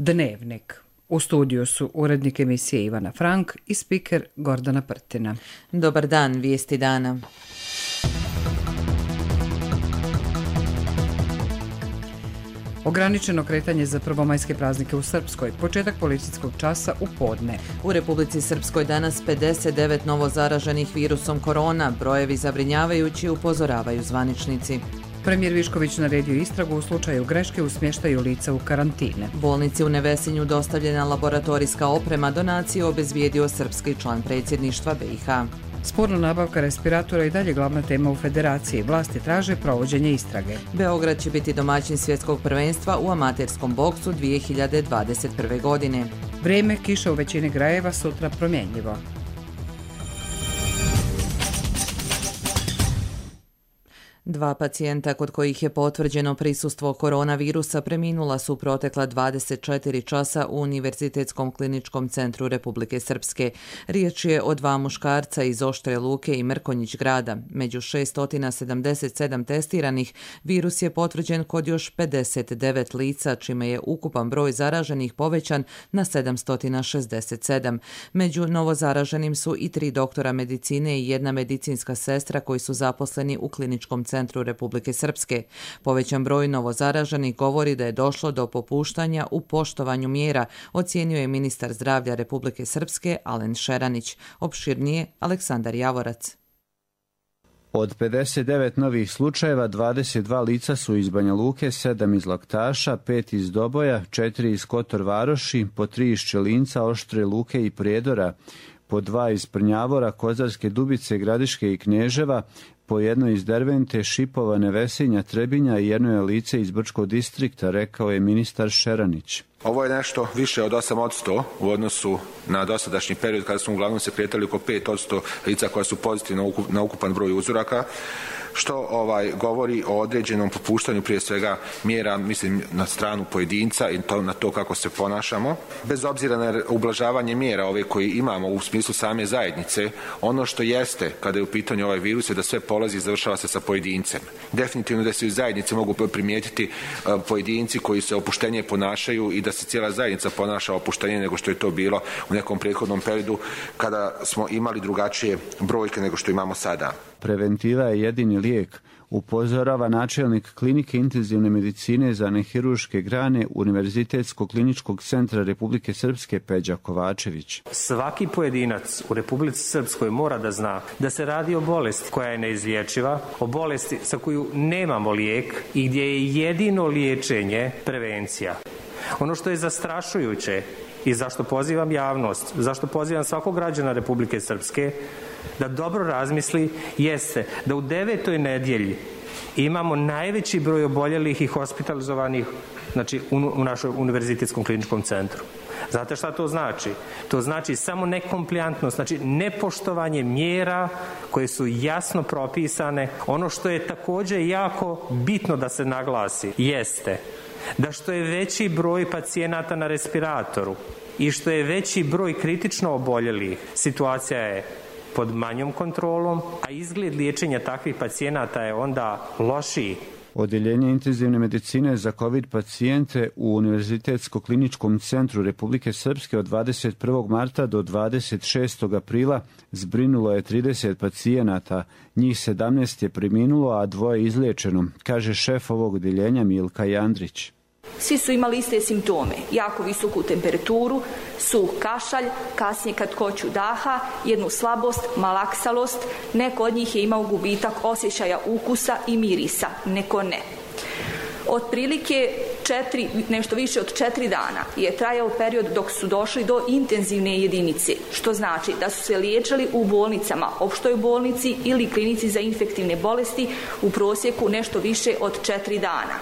Dnevnik. U studiju su urednik emisije Ivana Frank i spiker Gordana Prtina. Dobar dan, vijesti dana. Ograničeno kretanje za prvomajske praznike u Srpskoj, početak policijskog časa u podne. U Republici Srpskoj danas 59 novo zaraženih virusom korona, brojevi zabrinjavajući, upozoravaju zvaničnici. Premijer Višković naredio istragu u slučaju greške u smještaju lica u karantine. Bolnici u Nevesinju dostavljena laboratorijska oprema, donacije obezbijedio srpski član predsjedništva BiH. Sporna nabavka respiratora i dalje glavna tema u federaciji. Vlasti traže provođenje istrage. Beograd će biti domaćin svjetskog prvenstva u amaterskom boksu 2021. godine. Vrijeme, kiša u većini krajeva, sutra promjenjivo. Dva pacijenta kod kojih je potvrđeno prisustvo koronavirusa preminula su protekla 24 časa u Univerzitetskom kliničkom centru Republike Srpske. Riječ je o dva muškarca iz Oštre Luke i Mrkonjić grada. Među 677 testiranih virus je potvrđen kod još 59 lica, čime je ukupan broj zaraženih povećan na 767. Među novozaraženim su i 3 doktora medicine i 1 medicinska sestra koji su zaposleni u kliničkom centru Republike Srpske. Povećan broj novozaraženih govori da je došlo do popuštanja u poštovanju mjera, ocijenio je ministar zdravlja Republike Srpske Alen Šeranić. Opširnije Aleksandar Javorac. Od 59 novih slučajeva, 22 lica su iz Banja Luke, 7 iz Laktaša, 5 iz Doboja, 4 iz Kotor Varoši, po 3 iz Čelinca, Oštre Luke i Prijedora, po 2 iz Prnjavora, Kozarske Dubice, Gradiške i Knježeva, po 1 iz Dervente, Šipova, Nevesinja, Trebinja i 1 lice iz Brčkog distrikta, rekao je ministar Šeranić. Ovo je nešto više od 8% u odnosu na dosadašnji period kada smo uglavnom se kretali oko 5% lica koja su pozitivna na ukupan broj uzoraka, što govori o određenom popuštanju prije svega mjera, mislim na stranu pojedinca i na to kako se ponašamo. Bez obzira na ublažavanje mjera ove koje imamo u smislu same zajednice, ono što jeste kada je u pitanju ovaj virus je da sve polazi i završava se sa pojedincem. Definitivno da se u zajednici mogu primijetiti pojedinci koji se opuštenije ponašaju i da se cijela zajednica ponaša opuštenije nego što je to bilo u nekom prethodnom periodu kada smo imali drugačije brojke nego što imamo sada. Preventiva je jedini lijek, upozorava načelnik klinike intenzivne medicine za nehiruške grane Univerzitetskog kliničkog centra Republike Srpske Peđa Kovačević. Svaki pojedinac u Republici Srpskoj mora da zna da se radi o bolesti koja je neizlječiva, o bolesti za koju nemamo lijek i gdje je jedino liječenje prevencija. Ono što je zastrašujuće i zašto pozivam javnost, zašto pozivam svakog građana Republike Srpske da dobro razmisli, jeste da u 9. nedjelji imamo najveći broj oboljelih i hospitalizovanih, znači u našoj Univerzitetskom kliničkom centru. Znate šta to znači? To znači samo nekompliantnost, znači nepoštovanje mjera koje su jasno propisane. Ono što je također jako bitno da se naglasi jeste da što je veći broj pacijenata na respiratoru i što je veći broj kritično oboljelih, situacija je pod manjom kontrolom, a izgled liječenja takvih pacijenata je onda lošiji. Odjeljenje intenzivne medicine za COVID pacijente u Univerzitetskom kliničkom centru Republike Srpske od 21. marta do 26. aprila zbrinulo je 30 pacijenata, njih 17 je preminulo, a 2 izliječeno, kaže šef ovog odjeljenja Milka Jandrić. Svi su imali iste simptome, jako visoku temperaturu, suh kašalj, kasnije kratkoću daha, jednu slabost, malaksalost, neko od njih je imao gubitak osjećaja ukusa i mirisa, neko ne. Otprilike nešto više od 4 dana je trajao period dok su došli do intenzivne jedinice, što znači da su se liječili u bolnicama, opštoj bolnici ili klinici za infektivne bolesti u prosjeku nešto više od 4 dana.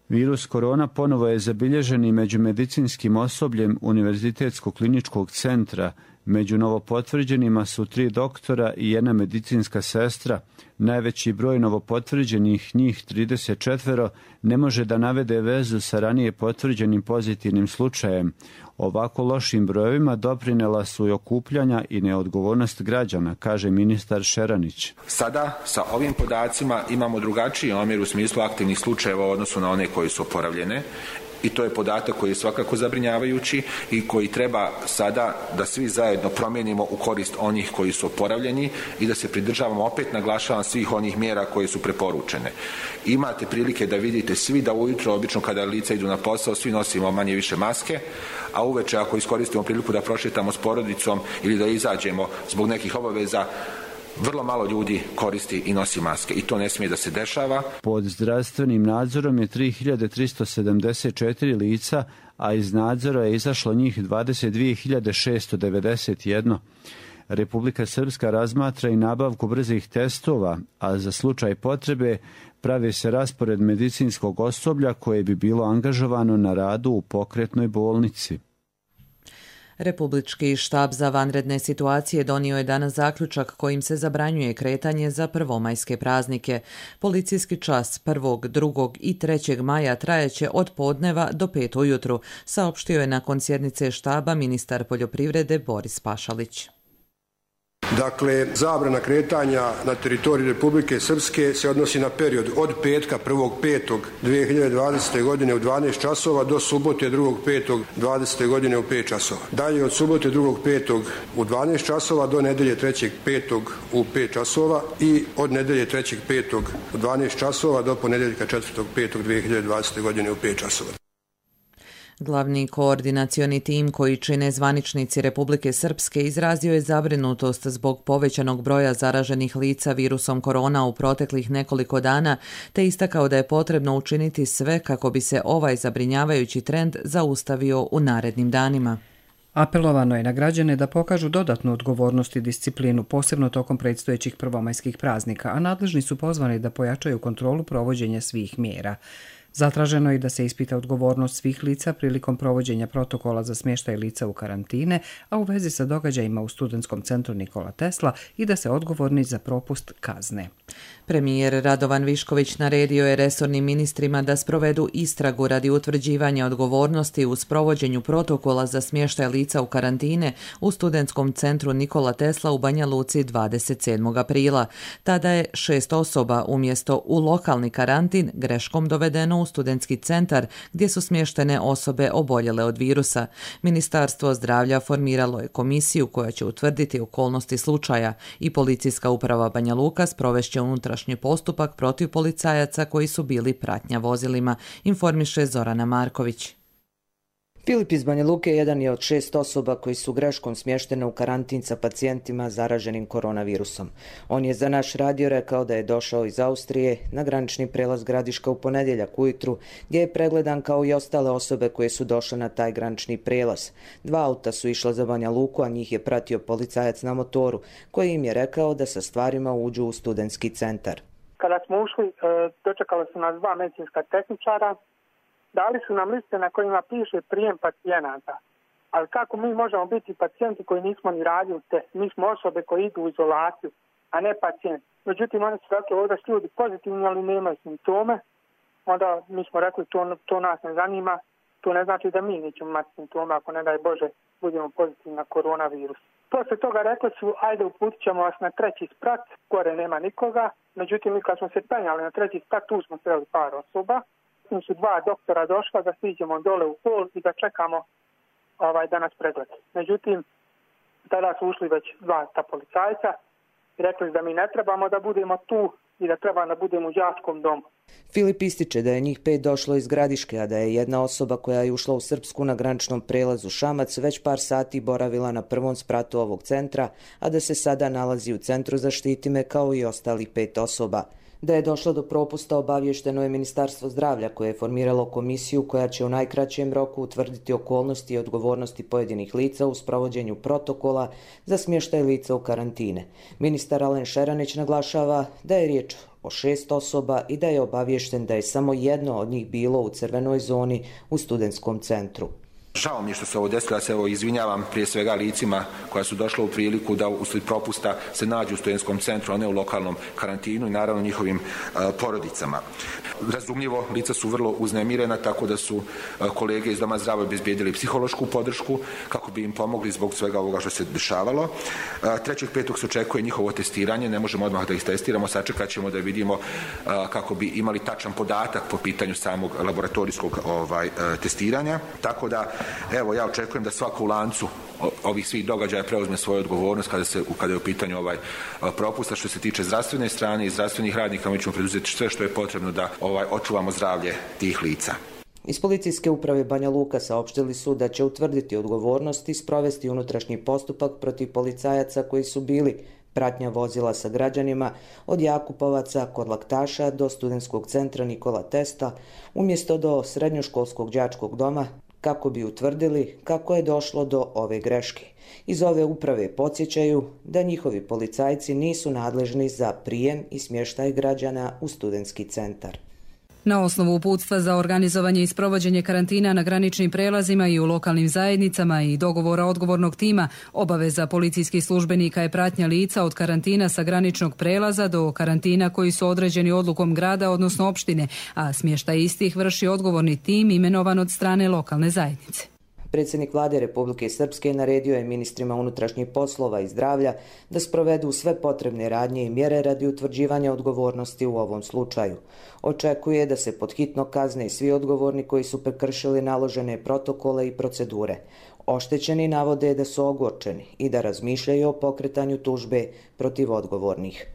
Virus korona ponovo je zabilježen i među medicinskim osobljem Univerzitetskog kliničkog centra. Među novopotvrđenima su 3 doktora i 1 medicinska sestra. Najveći broj novopotvrđenih, njih 34, ne može da navede vezu sa ranije potvrđenim pozitivnim slučajem. Ovako lošim brojevima doprinela su i okupljanja i neodgovornost građana, kaže ministar Šeranić. Sada sa ovim podacima imamo drugačiji omjer u smislu aktivnih slučajeva u odnosu na one koji su oporavljene i to je podatak koji je svakako zabrinjavajući i koji treba sada da svi zajedno promijenimo u korist onih koji su oporavljeni i da se pridržavamo, opet naglašavam, svih onih mjera koje su preporučene. Imate prilike da vidite svi da ujutro, obično kada lica idu na posao, svi nosimo manje više maske, a uveče ako iskoristimo priliku da prošetamo s porodicom ili da izađemo zbog nekih obaveza, vrlo malo ljudi koristi i nosi maske i to ne smije da se dešava. Pod zdravstvenim nadzorom je 3374 lica, a iz nadzora je izašlo njih 22.691. Republika Srpska razmatra i nabavku brzih testova, a za slučaj potrebe pravi se raspored medicinskog osoblja koje bi bilo angažovano na radu u pokretnoj bolnici. Republički štab za vanredne situacije donio je danas zaključak kojim se zabranjuje kretanje za prvomajske praznike. Policijski čas 1., 2. i 3. maja trajeće od podneva do 5 ujutru, saopštio je nakon sjednice štaba ministar poljoprivrede Boris Pašalić. Dakle, zabrana kretanja na teritoriji Republike Srpske se odnosi na period od petka 1.5.2020. godine u 12 časova do subote 2.5.2020. godine u 5 časova. Dalje od subote 2.5. u 12 časova do nedelje 3.5. u 5 časova i od nedelje 3.5. u 12 časova do ponedeljka 4.5.2020. godine u 5 časova. Glavni koordinacioni tim koji čine zvaničnici Republike Srpske izrazio je zabrinutost zbog povećanog broja zaraženih lica virusom korona u proteklih nekoliko dana, te istakao da je potrebno učiniti sve kako bi se ovaj zabrinjavajući trend zaustavio u narednim danima. Apelovano je na građane da pokažu dodatnu odgovornost i disciplinu, posebno tokom predstojećih prvomajskih praznika, a nadležni su pozvani da pojačaju kontrolu provođenja svih mjera. Zatraženo je da se ispita odgovornost svih lica prilikom provođenja protokola za smještaj lica u karantine, a u vezi sa događajima u Studentskom centru Nikola Tesla i da se odgovorni za propust kazne. Premijer Radovan Višković naredio je resornim ministrima da sprovedu istragu radi utvrđivanja odgovornosti u sprovođenju protokola za smještaj lica u karantine u Studentskom centru Nikola Tesla u Banja Luci 27. aprila. Tada je 6 osoba umjesto u lokalni karantin greškom dovedeno u studentski centar gdje su smještene osobe oboljele od virusa. Ministarstvo zdravlja formiralo je komisiju koja će utvrditi okolnosti slučaja i policijska uprava Banja Luka sprovešće unutrašnji postupak protiv policajaca koji su bili pratnja vozilima, informiše Zorana Marković. Filip iz Banja Luke jedan je od 6 osoba koji su greškom smještene u karantin sa pacijentima zaraženim koronavirusom. On je za naš radio rekao da je došao iz Austrije na granični prelaz Gradiška u ponedjeljak ujutru, gdje je pregledan kao i ostale osobe koje su došle na taj granični prelaz. 2 auta su išla za Banja Luku, a njih je pratio policajac na motoru, koji im je rekao da sa stvarima uđu u studentski centar. Kada smo ušli, dočekala su nas 2 medicinska tehničara. Dali su nam liste na kojima piše prijem pacijenata. Ali kako mi možemo biti pacijenti koji nismo ni radili test? Mi smo osobe koje idu u izolaciju, a ne pacijenti. Međutim, oni su rekli ovdje su ljudi pozitivni, ali nemaju simptome. Onda mi smo rekli to nas ne zanima. To ne znači da mi nećemo imati simptome ako ne daj Bože budemo pozitivni na koronavirus. Poslije toga rekli su ajde uputit ćemo vas na 3. sprat, gore nema nikoga. Međutim, mi kad smo se penjali na 3. sprat, tu smo sreli par osoba. Su 2 doktora došla da stiđemo dole u hol i da čekamo da nas preglede. Međutim, tada su ušli već 2 ta policajca i rekli da mi ne trebamo da budemo tu i da treba da budemo u đačkom domu. Filip ističe da je njih 5 došlo iz Gradiške, a da je jedna osoba koja je ušla u Srpsku na graničnom prelazu Šamac već par sati boravila na prvom spratu ovog centra, a da se sada nalazi u centru Zaštiti me kao i ostalih 5 osoba. Da je došlo do propusta obavješteno je Ministarstvo zdravlja koje je formiralo komisiju koja će u najkraćem roku utvrditi okolnosti i odgovornosti pojedinih lica u sprovođenju protokola za smještaj lica u karantine. Ministar Alen Šeranić naglašava da je riječ o 6 osoba i da je obavješten da je samo jedno od njih bilo u crvenoj zoni u studentskom centru. Žao mi je što se ovo desilo, ja se izvinjavam prije svega licima koja su došla u priliku da uslijed propusta se nađu u studentskom centru, a ne u lokalnom karantinu i naravno njihovim porodicama. Razumljivo, lica su vrlo uznemirena, tako da su kolege iz Doma zdravlja obezbijedili psihološku podršku kako bi im pomogli zbog svega ovoga što se dešavalo. 3.5. se očekuje njihovo testiranje, ne možemo odmah da ih testiramo, sačekat ćemo da vidimo kako bi imali tačan podatak po pitanju samog laboratorijskog testiranja. Tako da, evo, ja očekujem da svako u lancu ovih svih događaja preuzme svoju odgovornost kada je u pitanju propusta. Što se tiče zdravstvene strane i zdravstvenih radnika, mi ćemo preduzeti sve što je potrebno da očuvamo zdravlje tih lica. Iz Policijske uprave Banja Luka saopštili su da će utvrditi odgovornost i sprovesti unutrašnji postupak protiv policajaca koji su bili pratnja vozila sa građanima od Jakupovaca kod Laktaša do studentskog centra Nikola Tesla, umjesto do srednjoškolskog đačkog doma, kako bi utvrdili kako je došlo do ove greške. Iz ove uprave podsjećaju da njihovi policajci nisu nadležni za prijem i smještaj građana u studentski centar. Na osnovu uputstva za organizovanje i sprovođenje karantina na graničnim prelazima i u lokalnim zajednicama i dogovora odgovornog tima, obaveza policijskih službenika je pratnja lica od karantina sa graničnog prelaza do karantina koji su određeni odlukom grada, odnosno opštine, a smještaj istih vrši odgovorni tim imenovan od strane lokalne zajednice. Predsjednik Vlade Republike Srpske naredio je ministrima unutrašnjih poslova i zdravlja da sprovedu sve potrebne radnje i mjere radi utvrđivanja odgovornosti u ovom slučaju. Očekuje da se podhitno kazne svi odgovorni koji su prekršili naložene protokole i procedure. Oštećeni navode da su ogorčeni i da razmišljaju o pokretanju tužbe protiv odgovornih.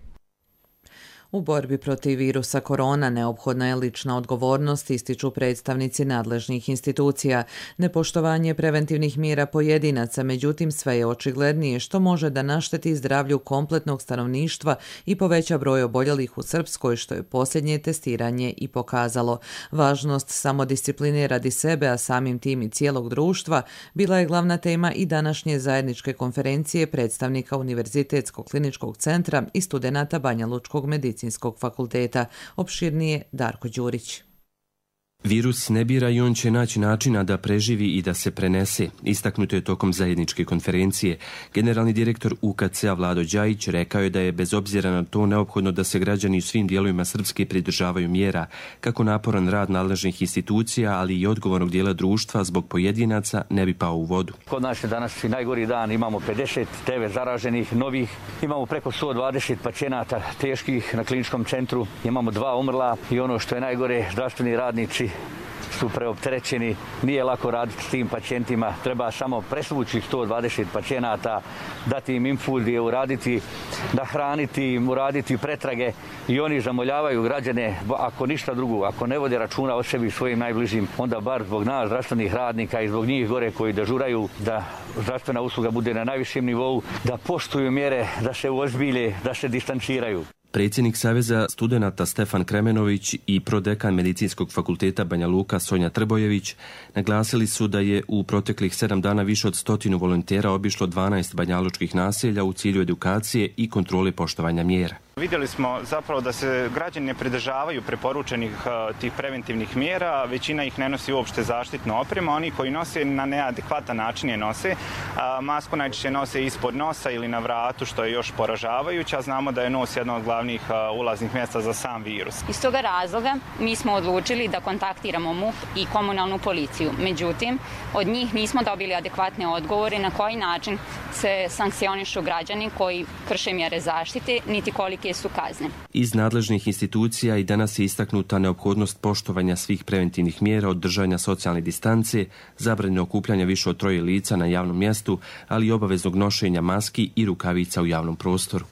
U borbi protiv virusa korona neophodna je lična odgovornost, ističu predstavnici nadležnih institucija. Nepoštovanje preventivnih mjera pojedinaca, međutim sve je očiglednije što može da našteti zdravlju kompletnog stanovništva i poveća broj oboljelih u Srpskoj, što je posljednje testiranje i pokazalo. Važnost samodiscipline radi sebe, a samim tim i cijelog društva, bila je glavna tema i današnje zajedničke konferencije predstavnika Univerzitetskog kliničkog centra i studenata Banja Lučkog medicinskog fakulteta. Opširnije Darko Đurić. Virus ne bira i on će naći načina da preživi i da se prenese, istaknuto je tokom zajedničke konferencije. Generalni direktor UKC-a Vlado Đajić rekao je da je bez obzira na to neophodno da se građani u svim dijelovima Srpske pridržavaju mjera, kako naporan rad nadležnih institucija, ali i odgovornog dijela društva zbog pojedinaca ne bi pao u vodu. Kod nas je danas i najgori dan, imamo 59 zaraženih novih, imamo preko 120 pacijenata teških na kliničkom centru, imamo 2 umrla i ono što je najgore, zdravstveni radnici su preopterećeni, nije lako raditi s tim pacijentima, treba samo presvući 120 pacijenata, dati im infuzije, uraditi, nahraniti, uraditi pretrage i oni zamoljavaju građane, ako ništa drugo, ako ne vode računa o sebi i svojim najbližim, onda bar zbog nas, zdravstvenih radnika i zbog njih gore koji dežuraju, da zdravstvena usluga bude na najvišem nivou, da poštuju mjere, da se uozbilje, da se distanciraju. Predsjednik Saveza studenata Stefan Kremenović i prodekan Medicinskog fakulteta Banja Luka Sonja Trbojević naglasili su da je u proteklih 7 dana više od 100 volontera obišlo 12 banjalučkih naselja u cilju edukacije i kontrole poštovanja mjera. Vidjeli smo zapravo da se građani ne pridržavaju preporučenih tih preventivnih mjera, većina ih ne nosi uopšte zaštitnu opremu, oni koji nose na neadekvatan način je nose. Masku najčešće nose ispod nosa ili na vratu, što je još poražavajuće, a znamo da je nos jedno od glavnih ulaznih mjesta za sam virus. Iz toga razloga mi smo odlučili da kontaktiramo MUP i komunalnu policiju. Međutim, od njih nismo dobili adekvatne odgovore na koji način se sankcionišu građani koji krše mjere zaštite, niti kolike su kazne. Iz nadležnih institucija i danas je istaknuta neophodnost poštovanja svih preventivnih mjera od držanja socijalne distance, zabrane okupljanja više od 3 lica na javnom mjestu, ali i obaveznog nošenja maski i rukavica u javnom prostoru.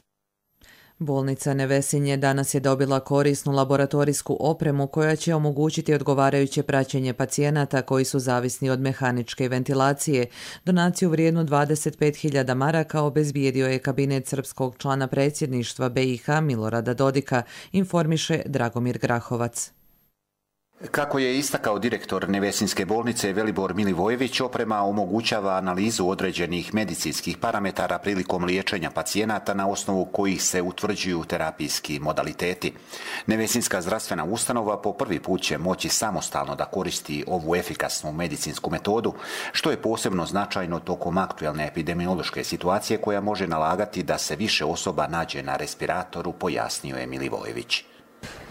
Bolnica Nevesinje danas je dobila korisnu laboratorijsku opremu koja će omogućiti odgovarajuće praćenje pacijenata koji su zavisni od mehaničke ventilacije. Donaciju vrijednu 25.000 maraka obezbijedio je kabinet srpskog člana predsjedništva BiH Milorada Dodika, informiše Dragomir Grahovac. Kako je istakao direktor Nevesinske bolnice Velibor Milivojević, oprema omogućava analizu određenih medicinskih parametara prilikom liječenja pacijenata na osnovu kojih se utvrđuju terapijski modaliteti. Nevesinska zdravstvena ustanova po prvi put će moći samostalno da koristi ovu efikasnu medicinsku metodu, što je posebno značajno tokom aktuelne epidemiološke situacije koja može nalagati da se više osoba nađe na respiratoru, pojasnio je Milivojević.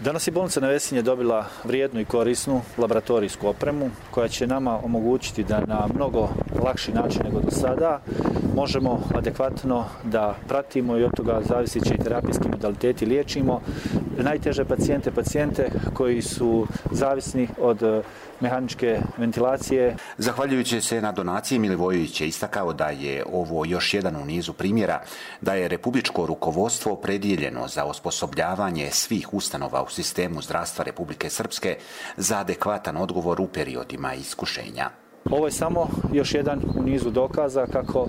Danas je bolnica Nevesinje dobila vrijednu i korisnu laboratorijsku opremu koja će nama omogućiti da na mnogo lakši način nego do sada možemo adekvatno da pratimo i od toga zavisiće i terapijski modaliteti liječimo najteže pacijente koji su zavisni od mehaničke ventilacije. Zahvaljujući se na donaciji, Milivojević je istakao da je ovo još jedan u nizu primjera da je republičko rukovodstvo opredjeljeno za osposobljavanje svih ustanova u sistemu zdravstva Republike Srpske za adekvatan odgovor u periodima iskušenja. Ovo je samo još jedan u nizu dokaza kako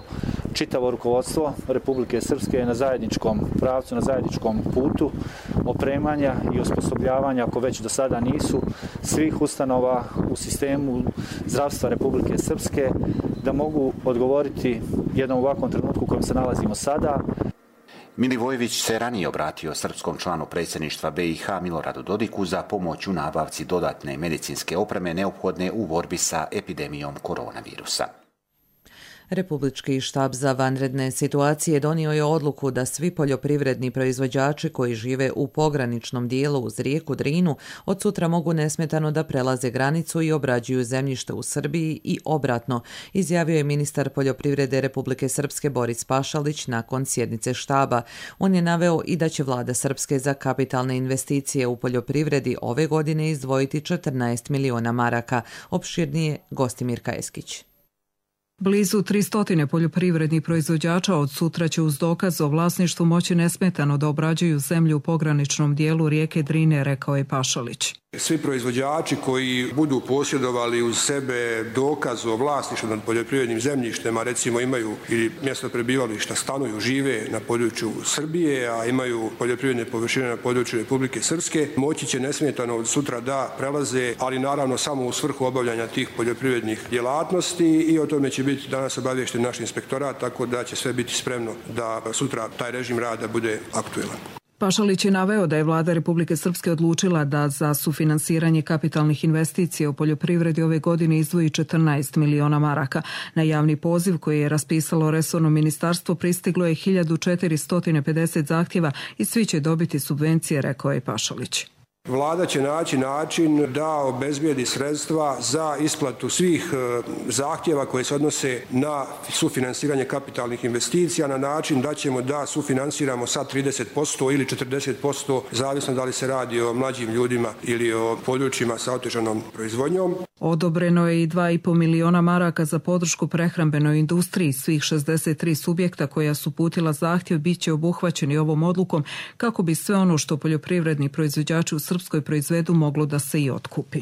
čitavo rukovodstvo Republike Srpske je na zajedničkom pravcu, na zajedničkom putu opremanja i osposobljavanja, ako već do sada nisu, svih ustanova u sistemu zdravstva Republike Srpske da mogu odgovoriti jednom ovakvom trenutku u kojem se nalazimo sada. Milivojević se ranije obratio srpskom članu predsjedništva BiH Miloradu Dodiku za pomoć u nabavci dodatne medicinske opreme neophodne u borbi sa epidemijom koronavirusa. Republički štab za vanredne situacije donio je odluku da svi poljoprivredni proizvođači koji žive u pograničnom dijelu uz rijeku Drinu od sutra mogu nesmetano da prelaze granicu i obrađuju zemljište u Srbiji i obratno, izjavio je ministar poljoprivrede Republike Srpske Boris Pašalić nakon sjednice štaba. On je naveo i da će vlada Srpske za kapitalne investicije u poljoprivredi ove godine izdvojiti 14 miliona maraka. Opširnije Gostimir Kajeskić. Blizu 300 poljoprivrednih proizvođača od sutra će uz dokaz o vlasništvu moći nesmetano da obrađuju zemlju u pograničnom dijelu rijeke Drine, rekao je Pašalić. Svi proizvođači koji budu posjedovali uz sebe dokaz o vlasništvu nad poljoprivrednim zemljištem, a recimo imaju ili mjesto prebivališta, stanuju, žive na području Srbije, a imaju poljoprivredne površine na području Republike Srpske, moći će nesmetano od sutra da prelaze, ali naravno samo u svrhu obavljanja tih poljoprivrednih djelatnosti i o tome će biti danas obaviješten naš inspektorat, tako da će sve biti spremno da sutra taj režim rada bude aktuelan. Pašalić je naveo da je vlada Republike Srpske odlučila da za sufinansiranje kapitalnih investicija u poljoprivredi ove godine izdvoji 14 miliona maraka. Na javni poziv koji je raspisalo resorno ministarstvo pristiglo je 1450 zahtjeva i svi će dobiti subvencije, rekao je Pašalić. Vlada će naći način da obezbijedi sredstva za isplatu svih zahtjeva koje se odnose na sufinansiranje kapitalnih investicija na način da ćemo da sufinansiramo sa 30% ili 40%, zavisno da li se radi o mlađim ljudima ili o područjima sa otežanom proizvodnjom. Odobreno je i 2,5 miliona maraka za podršku prehrambenoj industriji. Svih 63 subjekta koja su uputila zahtjev bit će obuhvaćeni ovom odlukom kako bi sve ono što poljoprivredni proizvođači u Srpskoj proizvedu moglo da se i otkupi.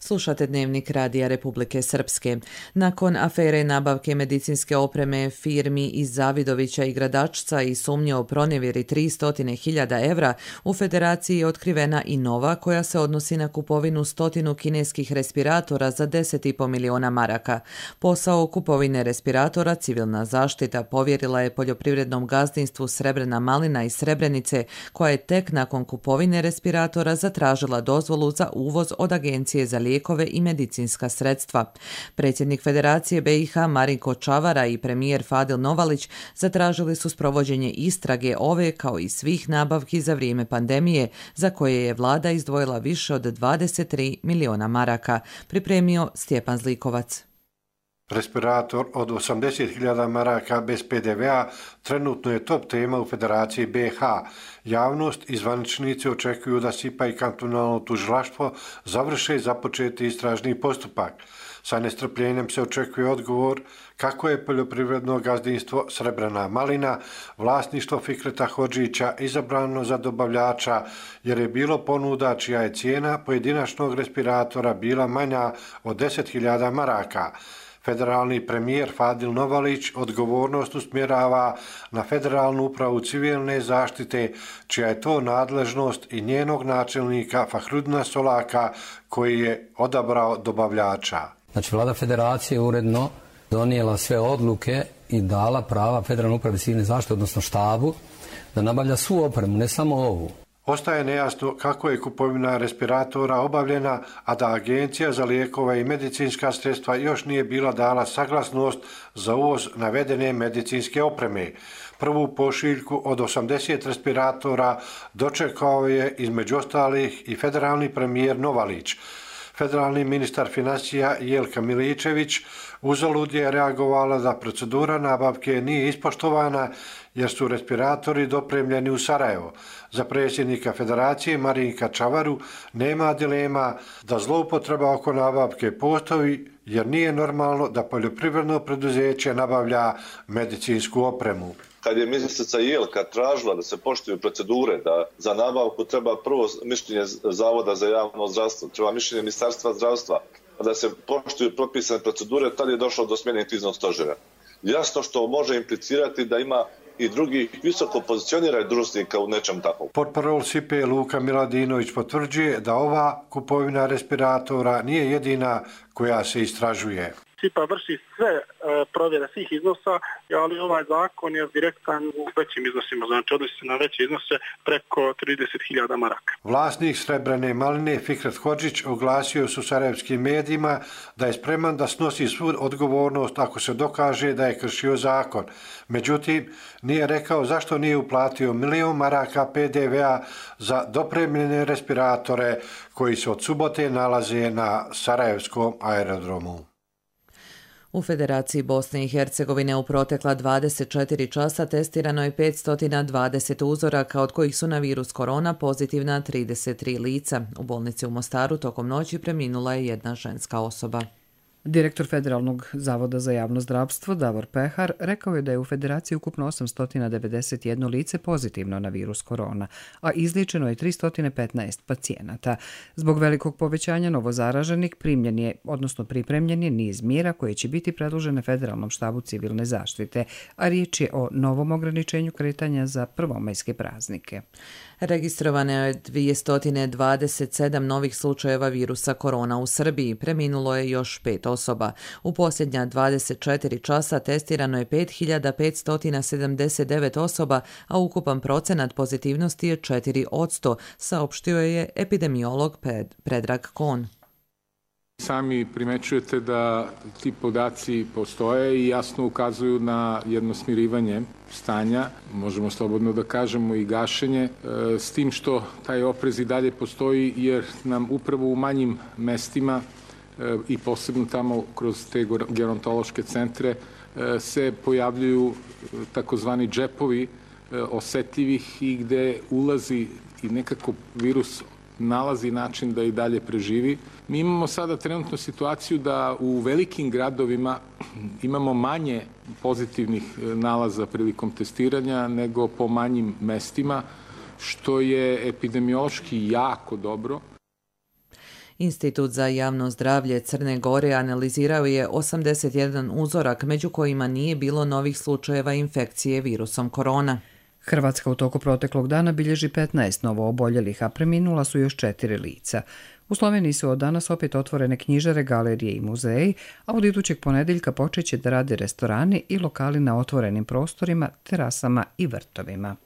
Slušate Dnevnik Radija Republike Srpske. Nakon afere nabavke medicinske opreme firmi iz Zavidovića i Gradačca i sumnje o pronevjeri 300.000 evra, u Federaciji je otkrivena i nova koja se odnosi na kupovinu 100 kineskih respiratora za 10,5 miliona maraka. Posao kupovine respiratora civilna zaštita povjerila je poljoprivrednom gazdinstvu Srebrena malina iz Srebrenice, koja je tek nakon kupovine respiratora zatražila dozvolu za uvoz od Agencije za lijekove i medicinska sredstva. Predsjednik Federacije BiH Marinko Čavara i premijer Fadil Novalić zatražili su sprovođenje istrage ove kao i svih nabavki za vrijeme pandemije za koje je vlada izdvojila više od 23 miliona maraka, pripremio Stjepan Zlikovac. Respirator od 80.000 maraka bez PDV-a trenutno je top tema u Federaciji BiH. Javnost i zvaničnici očekuju da SIPA i kantonalno tužilaštvo završe započeti istražni postupak. Sa nestrpljenjem se očekuje odgovor kako je poljoprivredno gazdinstvo Srebrena malina, vlasništvo Fikreta Hodžića, izabrano za dobavljača jer je bilo ponuda čija je cijena pojedinačnog respiratora bila manja od 10.000 maraka. Federalni premijer Fadil Novalić odgovornost usmjerava na Federalnu upravu civilne zaštite, čija je to nadležnost, i njenog načelnika Fahrudina Solaka, koji je odabrao dobavljača. Znači, vlada federacije uredno donijela sve odluke i dala prava Federalnoj upravi civilne zaštite, odnosno štabu, da nabavlja svu opremu, ne samo ovu. Ostaje nejasno kako je kupovina respiratora obavljena, a da Agencija za lijekove i medicinska sredstva još nije bila dala saglasnost za uvoz navedene medicinske opreme. Prvu pošiljku od 80 respiratora dočekao je između ostalih i federalni premijer Novalić. Federalni ministar financija Jelka Miličević uzalud je reagovala da procedura nabavke nije ispoštovana jer su respiratori dopremljeni u Sarajevo. Za predsjednika Federacije Marinka Čavaru nema dilema da zloupotreba oko nabavke postoji jer nije normalno da poljoprivredno preduzeće nabavlja medicinsku opremu. Kad je ministrica Jelka tražila da se poštuju procedure, da za nabavku treba prvo mišljenje Zavoda za javno zdravstvo, treba mišljenje Ministarstva zdravstva, da se poštuju propisane procedure, tad je došlo do smjene kriznog stožera. Jasno što može implicirati da ima i drugih visoko pozicioniranih dužnosnika u nečem takvom. Portparol SIPE Luka Miladinović potvrđuje da ova kupovina respiratora nije jedina koja se istražuje. SIPA vrši sve provjere svih iznosa, ali ovaj zakon je direktan u većim iznosima, znači odnosi se na veće iznose preko 30.000 maraka. Vlasnik srebrene maline Fikret Hodžić oglasio su sarajevskim medijima da je spreman da snosi svu odgovornost ako se dokaže da je kršio zakon. Međutim, nije rekao zašto nije uplatio 1 milion maraka PDV-a za dopremljene respiratore koji se od subote nalaze na sarajevskom aerodromu. U Federaciji Bosne i Hercegovine u protekla 24 časa testirano je 520 uzoraka, od kojih su na virus korona pozitivna 33 lica. U bolnici u Mostaru tokom noći preminula je jedna ženska osoba. Direktor Federalnog zavoda za javno zdravstvo Davor Pehar rekao je da je u Federaciji ukupno 891 lice pozitivno na virus korona, a izliječeno je 315 pacijenata. Zbog velikog povećanja novozaraženih pripremljen je niz mjera koje će biti predložene Federalnom štabu civilne zaštite, a riječ je o novom ograničenju kretanja za prvomajske praznike. Registrovano je 227 novih slučajeva virusa korona u Srbiji. Preminulo je još 5 osoba. U posljednja 24 časa testirano je 5579 osoba, a ukupan procenat pozitivnosti je 4%, saopštio je epidemiolog Predrag Kon. Sami primećujete da ti podaci postoje i jasno ukazuju na jedno smirivanje stanja, možemo slobodno da kažemo i gašenje, s tim što taj oprez i dalje postoji jer nam upravo u manjim mestima i posebno tamo kroz te gerontološke centre se pojavljuju takozvani džepovi osetljivih i gde ulazi i nekako virus nalazi način da i dalje preživi. Mi imamo sada trenutno situaciju da u velikim gradovima imamo manje pozitivnih nalaza prilikom testiranja nego po manjim mestima, što je epidemiološki jako dobro. Institut za javno zdravlje Crne Gore analizirao je 81 uzorak, među kojima nije bilo novih slučajeva infekcije virusom korona. Hrvatska u toku proteklog dana bilježi 15 novo oboljelih, a preminula su još 4 lica. U Sloveniji su od danas opet otvorene knjižare, galerije i muzeji, a od idućeg ponedjeljka počeće da rade restorani i lokali na otvorenim prostorima, terasama i vrtovima.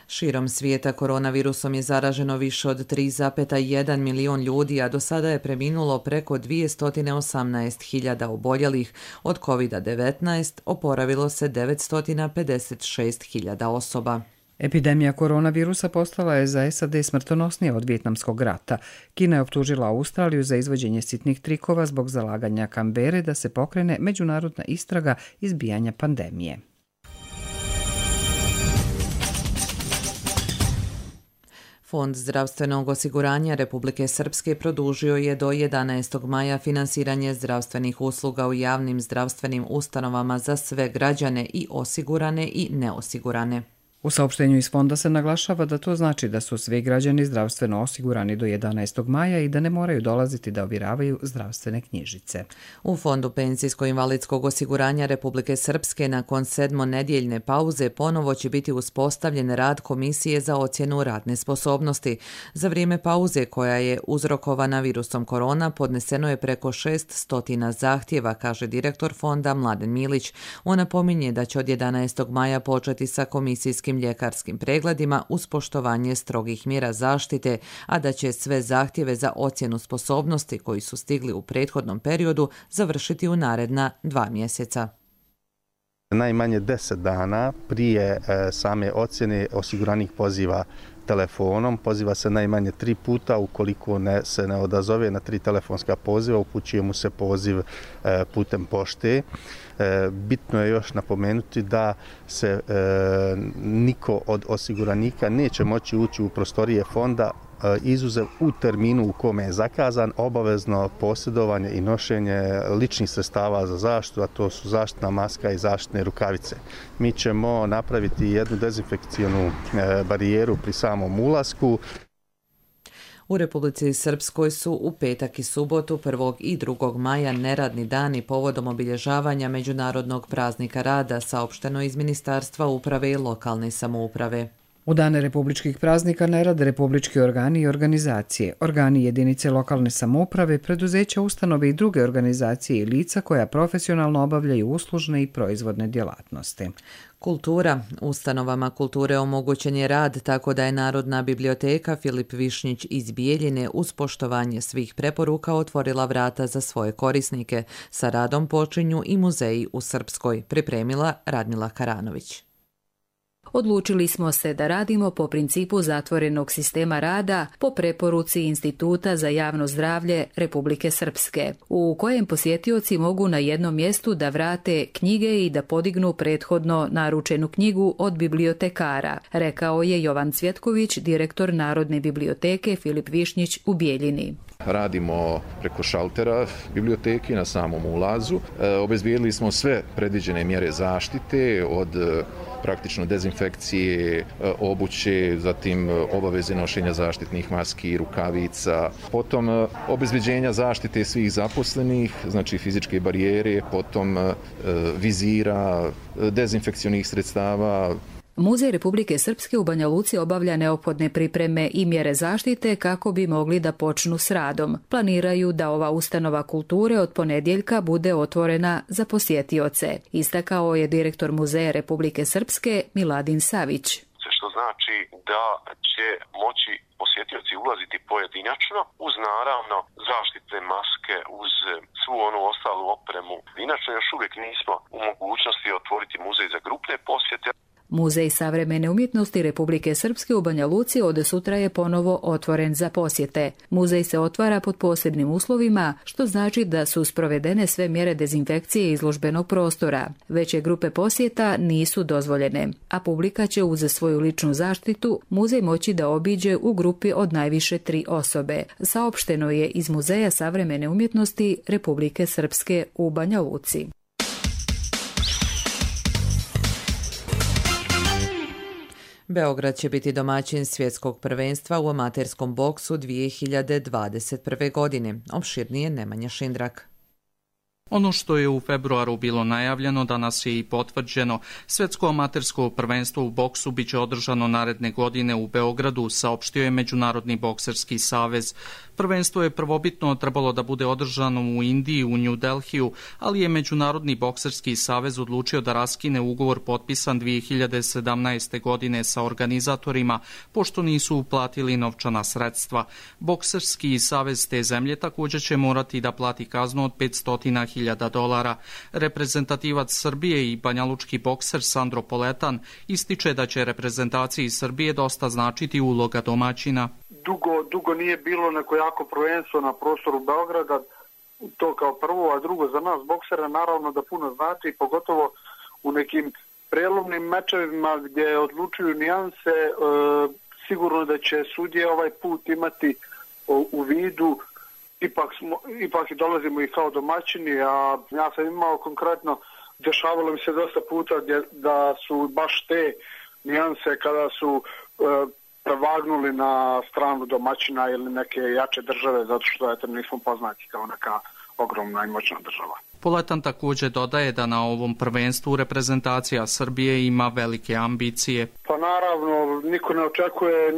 Širom svijeta koronavirusom je zaraženo više od 3,1 milion ljudi, a do sada je preminulo preko 218.000 oboljelih. Od COVID-19 oporavilo se 956.000 osoba. Epidemija koronavirusa postala je za SAD smrtonosnija od Vijetnamskog rata. Kina je optužila Australiju za izvođenje sitnih trikova zbog zalaganja Kambere da se pokrene međunarodna istraga izbijanja pandemije. Fond zdravstvenog osiguranja Republike Srpske produžio je do 11. maja finansiranje zdravstvenih usluga u javnim zdravstvenim ustanovama za sve građane, i osigurane i neosigurane. U saopštenju iz fonda se naglašava da to znači da su svi građani zdravstveno osigurani do 11. maja i da ne moraju dolaziti da ovjeravaju zdravstvene knjižice. U Fondu penzijsko-invalidskog osiguranja Republike Srpske nakon 7-nedjeljne pauze ponovo će biti uspostavljen rad Komisije za ocjenu radne sposobnosti. Za vrijeme pauze koja je uzrokovana virusom korona podneseno je preko 600 zahtjeva, kaže direktor fonda Mladen Milić. On napominje da će od 11. maja početi sa komisijskim ljekarskim pregledima uz poštovanje strogih mjera zaštite, a da će sve zahtjeve za ocjenu sposobnosti koji su stigli u prethodnom periodu završiti u naredna 2 mjeseca. Najmanje 10 dana prije same ocjene osiguranik poziva telefonom, poziva se najmanje 3 puta, ukoliko se ne odazove na 3 telefonska poziva, upućuje mu se poziv putem pošte. Bitno je još napomenuti da se niko od osiguranika neće moći ući u prostorije fonda izuzev u terminu u kome je zakazan, obavezno posjedovanje i nošenje ličnih sredstava za zaštitu, a to su zaštitna maska i zaštitne rukavice. Mi ćemo napraviti jednu dezinfekcijonu barijeru pri samom ulasku. U Republici Srpskoj su u petak i subotu 1. i 2. maja neradni dani povodom obilježavanja Međunarodnog praznika rada, saopšteno iz Ministarstva uprave i lokalne samouprave. U dane republičkih praznika ne rade republički organi i organizacije, organi jedinice lokalne samouprave, preduzeća, ustanove i druge organizacije i lica koja profesionalno obavljaju uslužne i proizvodne djelatnosti. Kultura. Ustanovama kulture omogućen je rad tako da je Narodna biblioteka Filip Višnjić iz Bijeljine uz poštovanje svih preporuka otvorila vrata za svoje korisnike. Sa radom počinju i muzeji u Srpskoj, pripremila Radmila Karanović. Odlučili smo se da radimo po principu zatvorenog sistema rada po preporuci Instituta za javno zdravlje Republike Srpske, u kojem posjetioci mogu na jednom mjestu da vrate knjige i da podignu prethodno naručenu knjigu od bibliotekara, rekao je Jovan Cvjetković, direktor Narodne biblioteke Filip Višnjić u Bijeljini. Radimo preko šaltera biblioteke na samom ulazu. Obezbijedili smo sve predviđene mjere zaštite od praktično dezinfekcije, obuće, zatim obaveze nošenja zaštitnih maski, rukavica, potom obezbeđenja zaštite svih zaposlenih, znači fizičke barijere, potom vizira, dezinfekcionih sredstava. Muzej Republike Srpske u Banja Luci obavlja neophodne pripreme i mjere zaštite kako bi mogli da počnu s radom. Planiraju da ova ustanova kulture od ponedjeljka bude otvorena za posjetioce, istakao je direktor Muzeja Republike Srpske Miladin Savić. Što znači da će moći posjetioci ulaziti pojedinačno uz naravno zaštitne maske, uz svu onu ostalu opremu. Inače još uvijek nismo u mogućnosti otvoriti muzej za grupne posjete. Muzej savremene umjetnosti Republike Srpske u Banja Luci od sutra je ponovo otvoren za posjete. Muzej se otvara pod posebnim uslovima, što znači da su sprovedene sve mjere dezinfekcije izložbenog prostora. Veće grupe posjeta nisu dozvoljene, a publika će uz svoju ličnu zaštitu muzej moći da obiđe u grupi od najviše 3 osobe. Saopšteno je iz Muzeja savremene umjetnosti Republike Srpske u Banja Luci. Beograd će biti domaćin svjetskog prvenstva u amaterskom boksu 2021. godine. Opširnije Nemanja Šindrak. Ono što je u februaru bilo najavljeno, danas je i potvrđeno. Svjetsko amatersko prvenstvo u boksu biće održano naredne godine u Beogradu, saopštio je Međunarodni bokserski savez. Prvenstvo je prvobitno trebalo da bude održano u Indiji, u New Delhiju, ali je Međunarodni bokserski savez odlučio da raskine ugovor potpisan 2017. godine sa organizatorima, pošto nisu uplatili novčana sredstva. Bokserski savez te zemlje također će morati da plati kaznu od $500.000. Reprezentativac Srbije i banjalučki bokser Sandro Poletan ističe da će reprezentaciji Srbije dosta značiti uloga domaćina. Dugo nije bilo neko jako prvenstvo na prostoru Beograda, to kao prvo, a drugo za nas boksera naravno da puno znači, pogotovo u nekim prelomnim mečevima gdje odlučuju nijanse, sigurno da će sudije ovaj put imati u vidu. Ipak i dolazimo i kao domaćini, a ja sam imao konkretno, dešavalo mi se dosta puta da su baš te nijanse kada su prevagnuli na stranu domaćina ili neke jače države, zato što eto, nismo poznati kao neka ogromna i moćna država. Poletan također dodaje da na ovom prvenstvu reprezentacija Srbije ima velike ambicije. Pa naravno, niko ne očekuje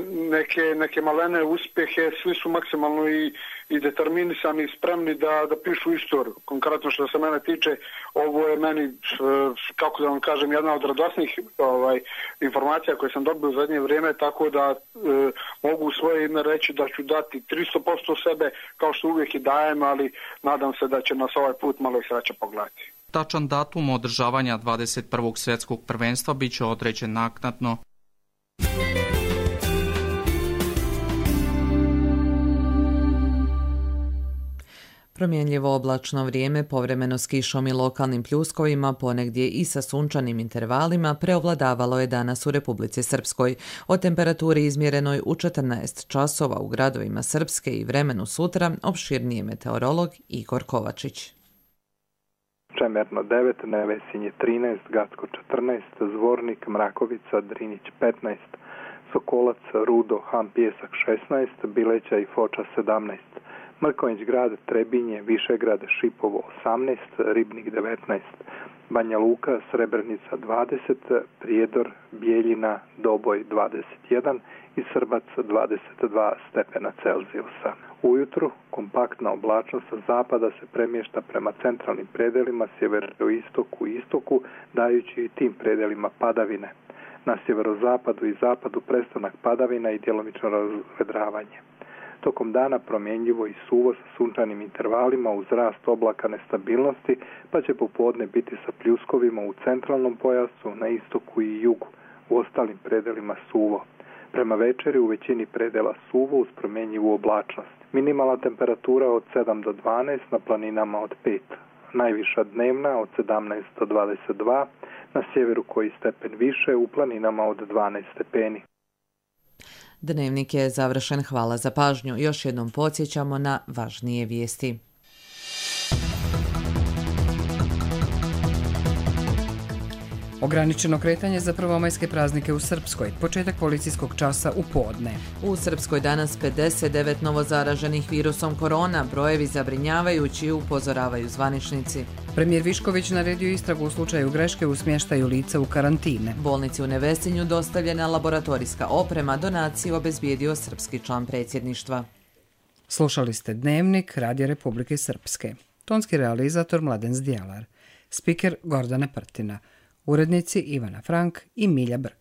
neke malene uspjehe, svi su maksimalno i determinisani i spremni da pišu istoriju. Konkretno što se mene tiče, ovo je meni, kako da vam kažem, jedna od radosnih informacija koje sam dobio u zadnje vrijeme, tako da mogu u svoje ime reći da ću dati 300% sebe, kao što uvijek i dajem, ali nadam se da će nas ovaj put malo i sreća pogledati. Tačan datum održavanja 21. svjetskog prvenstva bit će određen naknadno. Promjenljivo oblačno vrijeme, povremeno s kišom i lokalnim pljuskovima, ponegdje i sa sunčanim intervalima, preovladavalo je danas u Republici Srpskoj. O temperaturi izmjerenoj u 14 časova u gradovima Srpske i vremenu sutra opširnije meteorolog Igor Kovačić. Čemerno 9, Nevesinje 13, Gacko 14, Zvornik, Mrakovica, Drinić 15, Sokolac, Rudo, Han Pjesak 16, Bileća i Foča 17, Mrkonjić grad, Trebinje, Višegrad, Šipovo 18, Ribnik 19, Banja Luka, Srebrenica 20, Prijedor, Bijeljina, Doboj 21 i Srbac 22 stepena Celzijusa. Ujutru kompaktna oblačnost sa zapada se premješta prema centralnim predelima, sjeveroistoku i istoku, dajući i tim predelima padavine. Na sjeverozapadu i zapadu prestanak padavina i djelomično razvedravanje. Tokom dana promjenjivo i suvo sa sunčanim intervalima uz rast oblaka nestabilnosti, pa će popodne biti sa pljuskovima u centralnom pojasu, na istoku i jugu, u ostalim predelima suvo. Prema večeri u većini predela suvo uz promjenjivu oblačnost. Minimalna temperatura od 7 do 12, na planinama od 5. Najviša dnevna od 17 do 22, na sjeveru koji stepen više, u planinama od 12 stepeni. Dnevnik je završen, hvala za pažnju. Još jednom podsjećamo na važnije vijesti. Ograničeno kretanje za prvomajske praznike u Srpskoj. Početak policijskog časa u podne. U Srpskoj danas 59 novozaraženih virusom korona. Brojevi zabrinjavajući, upozoravaju zvaničnici. Premijer Višković naredio istragu u slučaju greške u smještaju lica u karantine. Bolnici u Nevesinju dostavljena laboratorijska oprema, donaciju obezbijedio srpski član predsjedništva. Slušali ste Dnevnik Radija Republike Srpske. Tonski realizator Mladen Zdjelar. Spiker Gordana Prtina. Urednici Ivana Frank i Milja Brk.